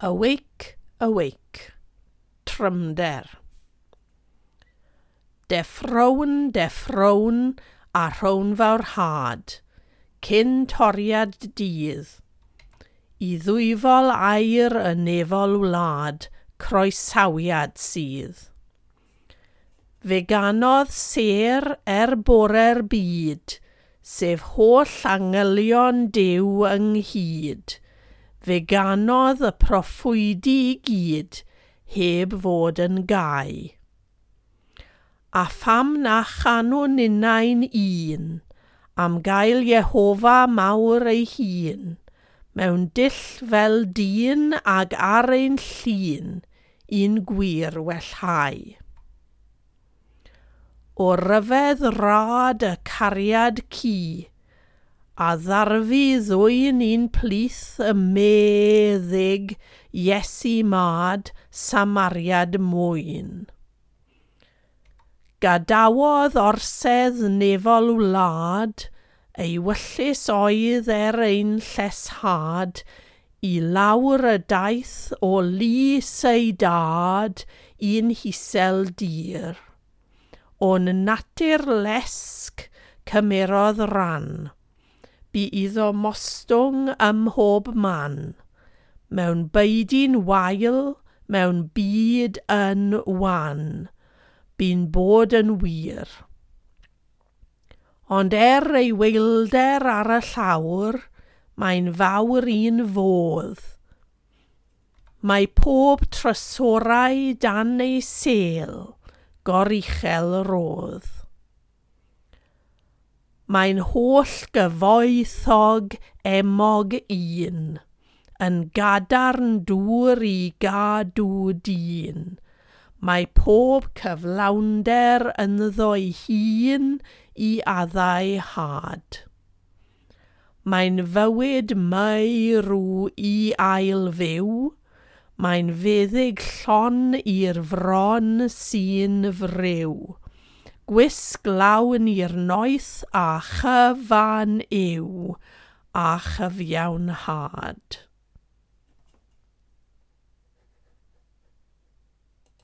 Awake, awake. Trymder. Deffrown, deffrown, a rhown fawr had, cyn toriad dydd. I ddwyfol air y nefol wlad, croesawiad sydd. Fe ganodd sêr er bore'r byd, sef holl angylion Duw ynghyd. Fe ganodd y proffwydi i gyd, heb fod yn gau. A pham na chanwn ninnau'n un, am gael Jehofa mawr ei hun, mewn dull fel dyn ag ar ein llun, un gwir wellhau. O ryfedd rad y cariad cu, a ddarfu ddwyn un plith y meddyg Iesu Mad Samariad mwyn. Gadawodd orsedd nefol wlad, ei wyllys oedd er ein lleshad, i lawr y daith o lys ei dad i'n hisel dir. O'n natur lesg cymerodd ran. Bu iddo mostwng ym mhob man, mewn beudy'n wael, mewn byd yn wan, bu'n bod yn wir. Ond er ei weilder ar y llawr, mae'n fawr un fodd. Mae pob trysorau dan ei sêl, goruchel rodd. Mae'n holl gyfoethog emog un, yn gadarn dŵr i gadw dyn. Mae pob cyflawnder ynddo'i hun i addau had. Mae'n fywyd meirw i ail fyw, mae'n feddyg llon i'r fron sy'n friw. Gwisg lawn i'r noeth a chyfan yw, a chyfiawnhad.